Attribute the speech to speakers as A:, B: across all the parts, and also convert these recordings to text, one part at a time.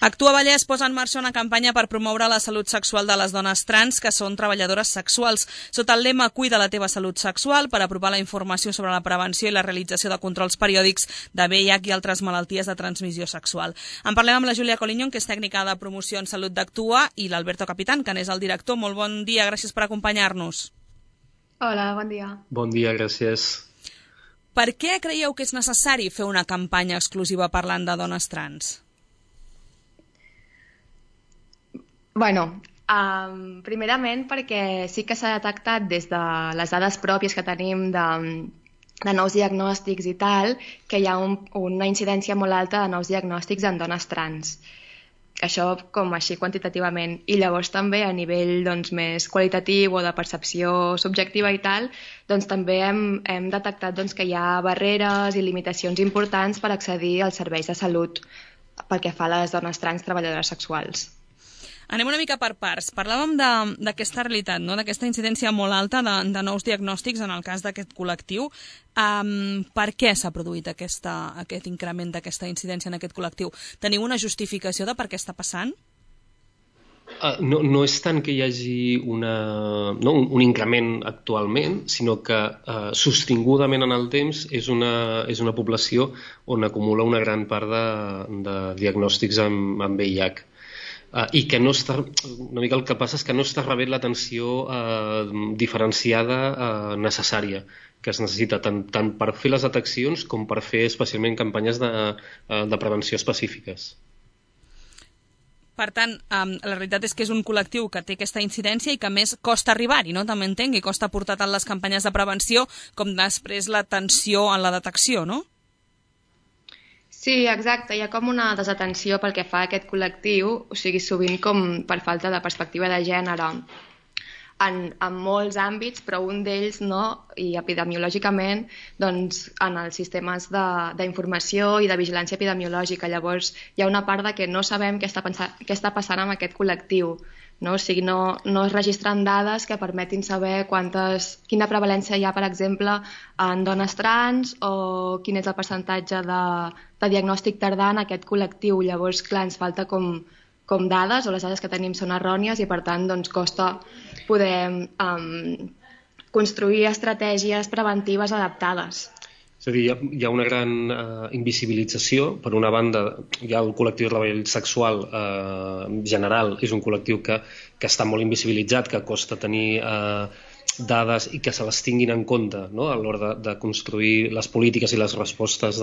A: Actua Vallès posa en marxa una campanya per promoure la salut sexual de les dones trans que són treballadores sexuals. Sota el lema Cuida la teva salut sexual, per apropar la informació sobre la prevenció i la realització de controls periòdics de VIH i altres malalties de transmissió sexual. En parlem amb la Júlia Coliñón, que és tècnica de promoció en salut d'Actua, i l'Alberto Capitán, que n'és el director. Molt bon dia, gràcies per acompanyar-nos.
B: Hola, bon dia.
C: Bon dia, gràcies.
A: Per què creieu que és necessari fer una campanya exclusiva parlant de dones trans?
B: Bueno, primerament perquè sí que s'ha detectat des de les dades pròpies que tenim de nous diagnòstics i tal, que hi ha una incidència molt alta de nous diagnòstics en dones trans. Això com així quantitativament. I llavors també a nivell més qualitatiu o de percepció subjectiva i tal, doncs també hem detectat que hi ha barreres i limitacions importants per accedir als serveis de salut pel que fa a les dones trans treballadores sexuals.
A: Anem una mica per parts. Parlàvem d'aquesta realitat, no? D'aquesta incidència molt alta de nous diagnòstics en el cas d'aquest col·lectiu. Per què s'ha produït aquest increment d'aquesta incidència en aquest col·lectiu? Teniu una justificació de per què està passant?
C: No és tant que hi hagi un increment actualment, sinó que sostingudament en el temps és una població on acumula una gran part de diagnòstics amb VIH. I que no està, una mica el que passa és que no està rebent l'atenció diferenciada necessària que es necessita tant per fer les deteccions com per fer especialment campanyes de prevenció específiques.
A: Per tant, la realitat és que és un col·lectiu que té aquesta incidència i que més costa arribar-hi, no? També entenc, i costa portar tant les campanyes de prevenció com després l'atenció en la detecció, no?
B: Sí, exacte. Hi ha com una desatenció pel que fa a aquest col·lectiu, o sigui, sovint com per falta de perspectiva de gènere en molts àmbits, però un d'ells, no, i epidemiològicament, doncs en els sistemes d'informació i de vigilància epidemiològica. Llavors, hi ha una part de que no sabem què està passant amb aquest col·lectiu. No? O sigui, no es registren dades que permetin saber quina prevalència hi ha, per exemple, en dones trans o quin és el percentatge de diagnòstic tardà en aquest col·lectiu. Llavors, clar, ens falta com dades, o les dades que tenim són errònies i, per tant, doncs, costa poder construir estratègies preventives adaptades.
C: És a dir, hi ha una gran invisibilització. Per una banda, hi ha el col·lectiu de treball sexual general, és un col·lectiu que està molt invisibilitzat, que costa tenir dades i que se les tinguin en compte, no? A l'hora de construir les polítiques i les respostes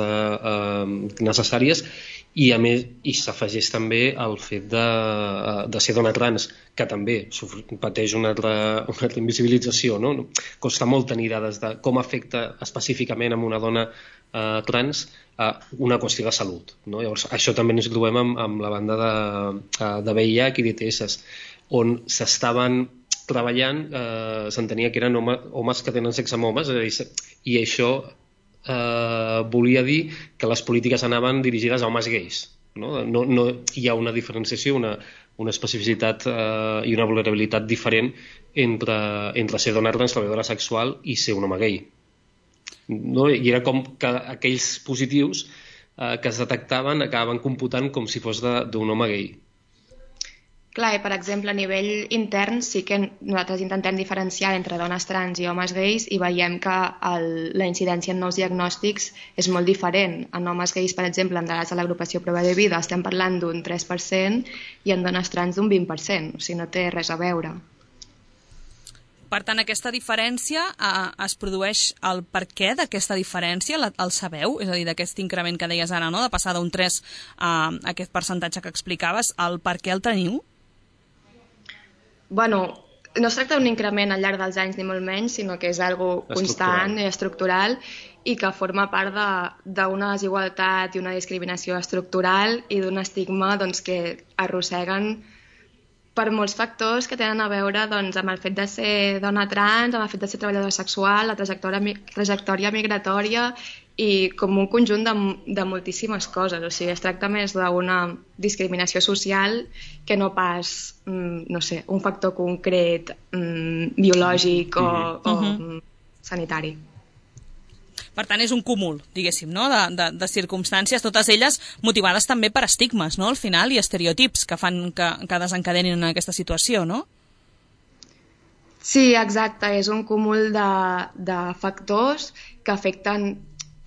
C: necessàries, i a més s'afegeix també el fet de ser dona trans, que també pateix una altra invisibilització, no? Costa molt tenir dades de com afecta específicament a una dona trans una qüestió de salut, no? Llavors, això també ens trobem amb la banda de VIH i d'ETS, on s'estaven treballant, s'entenia que eren homes que tenen sexe amb homes, i això volia dir que les polítiques anaven dirigides a homes gais. No hi ha una diferenciació, una especificitat i una vulnerabilitat diferent entre ser dona trans treballadora sexual i ser un home gay. No? I era com que aquells positius que es detectaven acabaven computant com si fos d'un home gay.
B: Clar, i per exemple, a nivell intern sí que nosaltres intentem diferenciar entre dones trans i homes gais i veiem que la incidència en nous diagnòstics és molt diferent. En homes gais, per exemple, en dades de l'agrupació Prova de Vida estem parlant d'un 3% i en dones trans d'un 20%, o sigui, no té res a veure.
A: Per tant, aquesta diferència es produeix el per què d'aquesta diferència, el sabeu? És a dir, d'aquest increment que deies ara, no? De passar d'un 3 a aquest percentatge que explicaves, el per què el teniu?
B: Bueno, no es tracta d'un increment al llarg dels anys ni molt menys, sinó que és algo constant i estructural i que forma part d'una desigualtat i una discriminació estructural i d'un estigma que arrosseguen per molts factors que tenen a veure amb el fet de ser dona trans, amb el fet de ser treballadora sexual, la trajectòria migratòria i com un conjunt de moltíssimes coses. O sigui, es tracta més d'una discriminació social que no pas, no sé, un factor concret biològic o sanitari.
A: Per tant, és un cúmul, diguéssim, no? de circumstàncies, totes elles motivades també per estigmes, no? Al final, i estereotips que fan que desencadenin aquesta situació, no?
B: Sí, exacte, és un cúmul de factors que afecten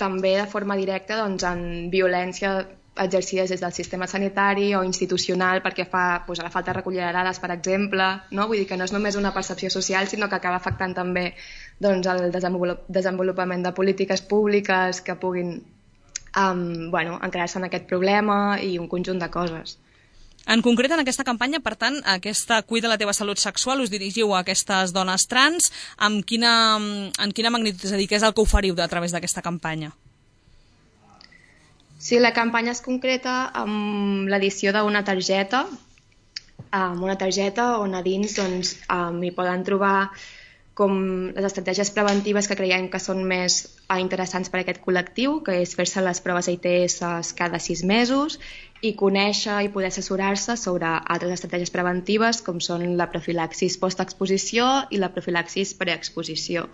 B: també de forma directa doncs, en violència exercides des del sistema sanitari o institucional perquè fa doncs, a la falta de recollida de dades, per exemple, no? Vull dir que no és només una percepció social, sinó que acaba afectant també doncs, el desenvolupament de polítiques públiques que puguin encarar-se en aquest problema i un conjunt de coses.
A: En concret, en aquesta campanya, per tant, aquesta Cuida la teva salut sexual, us dirigiu a aquestes dones trans. En quina magnitud, és a dir, què és el que oferiu a través d'aquesta campanya?
B: Sí, la campanya es concreta amb l'edició d'una targeta, on a dins doncs, hi poden trobar com les estratègies preventives que creiem que són més interessants per a aquest col·lectiu, que és fer-se les proves ITS cada 6 mesos i conèixer i poder assessorar-se sobre altres estratègies preventives com són la profilaxis post-exposició i la profilaxis preexposició.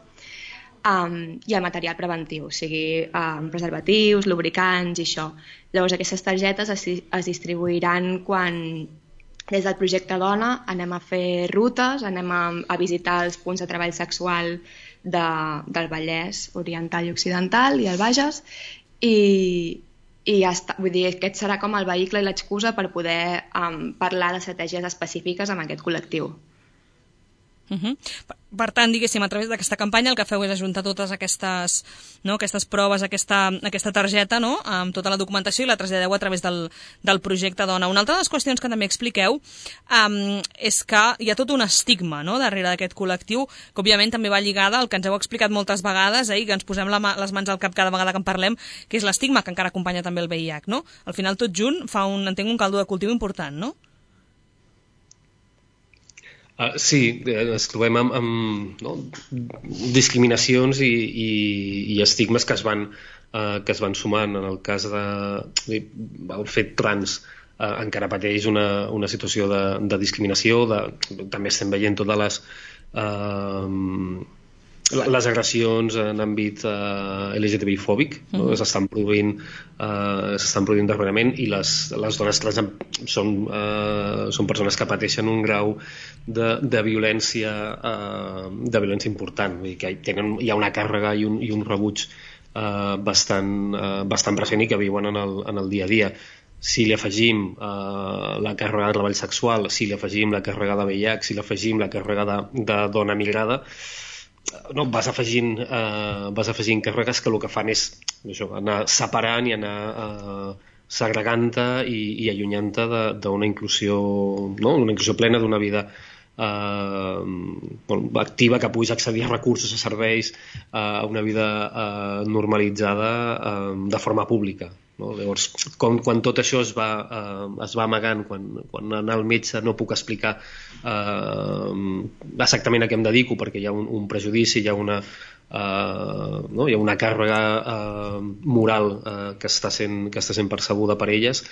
B: I el material preventiu, o sigui, preservatius, lubricants i això. Llavors aquestes targetes es distribuiran quan des del projecte Dona anem a fer rutes, anem a visitar els punts de treball sexual del Vallès Oriental i Occidental i el Bages i ja està. Vull dir, aquest serà com el vehicle i l'excusa per poder parlar d'estratègies específiques amb aquest col·lectiu.
A: Per tant, diguéssim, a través d'aquesta campanya el que feu és ajuntar totes aquestes proves, aquesta targeta, no? Amb tota la documentació i la traslladeu a través del projecte Dona. Una altra de les qüestions que també expliqueu és que hi ha tot un estigma, no?, darrere d'aquest col·lectiu, que òbviament també va lligada al que ens heu explicat moltes vegades, que ens posem les mans al cap cada vegada que en parlem, que és l'estigma que encara acompanya també el VIH, no? Al final tot junt fa entenc un caldo de cultiu important, no?
C: Sí, ens trobem amb discriminacions i estigmes que es van sumant. En el cas del fet trans encara pateix una situació de discriminació, també estem veient totes les agressions en àmbit LGTBI-fòbic, no? s'estan produint darrerament, i les dones trans són persones que pateixen un grau de violència important. Vull dir que hi ha una càrrega i un rebuig bastant present i que viuen en el dia a dia. Si li afegim la càrrega de treball sexual, si li afegim la càrrega de VIH, si li afegim la càrrega de dona migrada, no, vas afegint càrregues que el que fan és anar separant i anar segregant-te i allunyant-te d'una inclusió, no? Una inclusió plena d'una vida activa, que puguis accedir a recursos, a serveis, a una vida normalitzada de forma pública, no? Llavors, quan tot això es va amagant, quan anar al metge no puc explicar exactament a què em dedico perquè hi ha un prejudici, hi ha una càrrega moral que està sent percebuda per elles,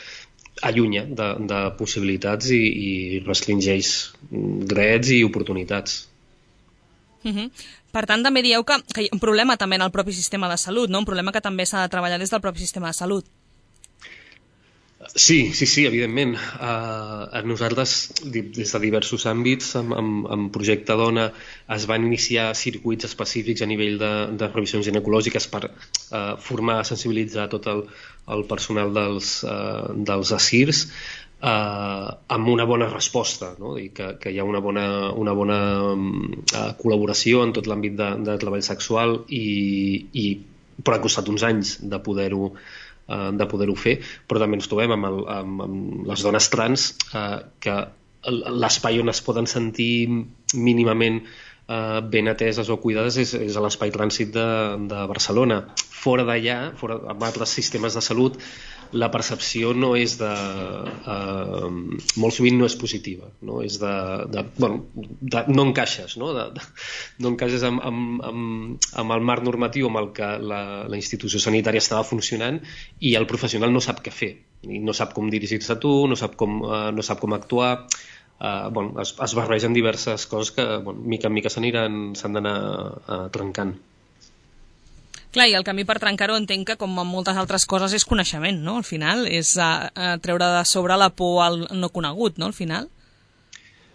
C: allunya de possibilitats i restringeix drets i oportunitats.
A: Per tant, també dieu que hi ha un problema també en el propi sistema de salut, no? Un problema que també s'ha de treballar des del propi sistema de salut.
C: Sí, evidentment. Nosaltres, des de diversos àmbits, amb Projecte Dona, es van iniciar circuits específics a nivell de revisions ginecològiques per formar, sensibilitzar tot el personal dels ASIRs, amb una bona resposta, no? Que hi ha una bona col·laboració en tot l'àmbit de treball sexual, però ha costat uns anys de poder-ho fer, però també ens trobem amb les dones trans que l'espai on es poden sentir mínimament ben ateses o cuidades és a l'espai trànsit de Barcelona. Fora d'allà, amb altres sistemes de salut, la percepció no és molt sovint no és positiva, no? És no encaixes, no? No encaixes amb el marc normatiu amb el que la institució sanitària estava funcionant, i el professional no sap què fer, i no sap com dirigir-se a tu, no sap com actuar. Es barregen diverses coses que mica en mica s'han d'anar trencant.
A: Clar, i el camí per trencar-ho entenc que, com en moltes altres coses, és coneixement, no? Al final, és treure de sobre la por al no conegut, no? Al final.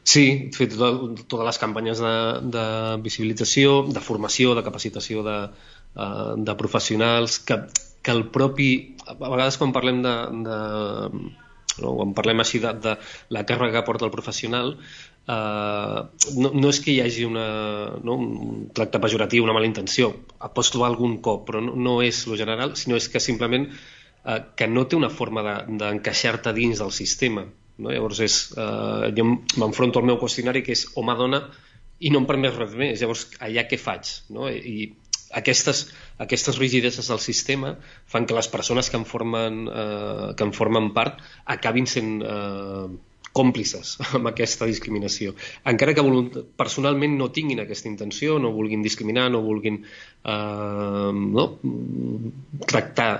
C: Sí, fer totes les campanyes de visibilització, de formació, de capacitació de professionals, que el propi... A vegades quan parlem quan parlem així de la càrrega que porta el professional, no és que hi hagi un tracte pejoratiu, una mala intenció. Pots trobar algun cop, però no és lo general, sinó és que simplement que no té una forma d'encaixar-te dins del sistema. No? Llavors jo m'enfronto al meu qüestionari, que és home-dona, i no em permet res més. Llavors, allà què faig? No? I aquestes rigideses del sistema fan que les persones que en formen part acabin sent còmplices amb aquesta discriminació. Encara que personalment no tinguin aquesta intenció, no vulguin discriminar, no vulguin tractar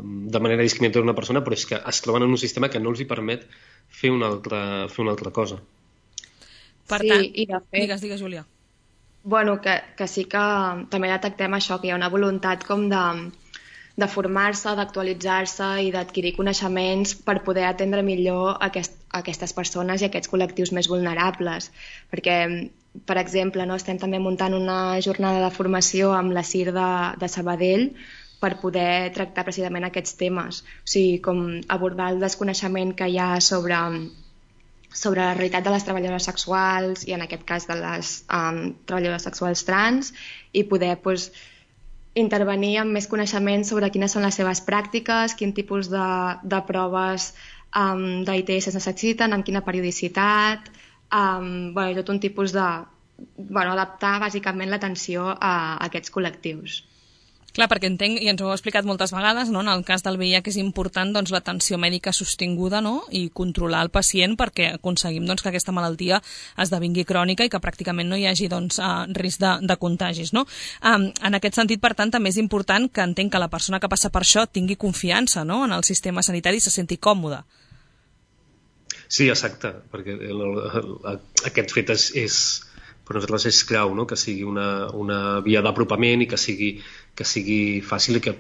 C: de manera discriminatòria una persona, però és que es troben en un sistema que no els hi permet fer una altra cosa.
A: Per tant, digues, Júlia.
B: Bueno, que sí que també detectem això, que hi ha una voluntat com de formar-se, d'actualitzar-se i d'adquirir coneixements per poder atendre millor aquestes persones i aquests col·lectius més vulnerables. Perquè, per exemple, estem també muntant una jornada de formació amb la CIR de Sabadell per poder tractar precisament aquests temes. O sigui, com abordar el desconeixement que hi ha sobre la realitat de les treballadores sexuals i en aquest cas de les treballadores sexuals trans i poder intervenir amb més coneixement sobre quines són les seves pràctiques, quin tipus de proves d'ITS es necessiten, amb quina periodicitat, i tot un tipus adaptar bàsicament l'atenció a aquests col·lectius.
A: Clar, perquè entenc, i ens ho heu explicat moltes vegades, no? En el cas del VIH és important l'atenció mèdica sostinguda, no? I controlar el pacient perquè aconseguim que aquesta malaltia esdevingui crònica i que pràcticament no hi hagi risc de contagis. No? En aquest sentit, per tant, també és important que entenc que la persona que passa per això tingui confiança, no? En el sistema sanitari i se senti còmode.
C: Sí, exacte, perquè aquest fet per nosaltres és clau, no? Que sigui una via d'apropament i que sigui fàcil i que,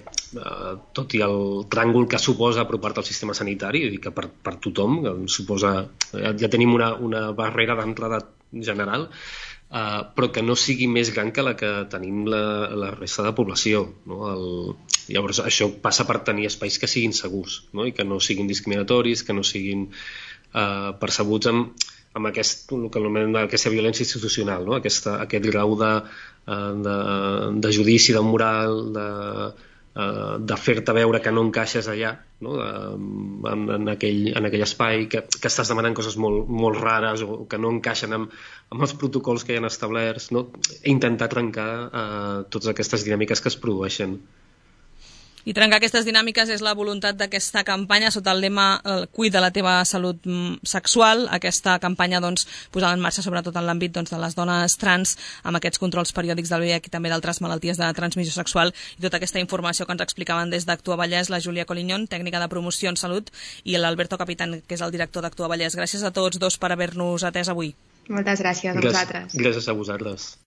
C: tot i el tràngol que suposa apropar-te al sistema sanitari, i que per tothom, suposa, ja tenim una barrera d'entrada general, però que no sigui més gran que la que tenim la resta de població. No? Llavors, això passa per tenir espais que siguin segurs, no? I que no siguin discriminatoris, que no siguin percebuts amb aquesta violència institucional, no? Aquest grau de judici, de moral, de fer-te veure que no encaixes allà, no? en aquell espai, que estàs demanant coses molt rares o que no encaixen amb els protocols que hi han establerts, no? Intentar trencar totes aquestes dinàmiques que es produeixen.
A: I trencar aquestes dinàmiques és la voluntat d'aquesta campanya sota el lema Cuida la teva salut sexual. Aquesta campanya posada en marxa sobretot en l'àmbit de les dones trans amb aquests controls periòdics del VIH i també d'altres malalties de transmissió sexual i tota aquesta informació que ens explicaven des d'Actua Vallès la Júlia Collignon, tècnica de promoció en salut, i l'Alberto Capitán, que és el director d'Actua Vallès. Gràcies a tots dos per haver-nos atès avui.
B: Moltes gràcies a vosaltres.
C: Gràcies a vosaltres.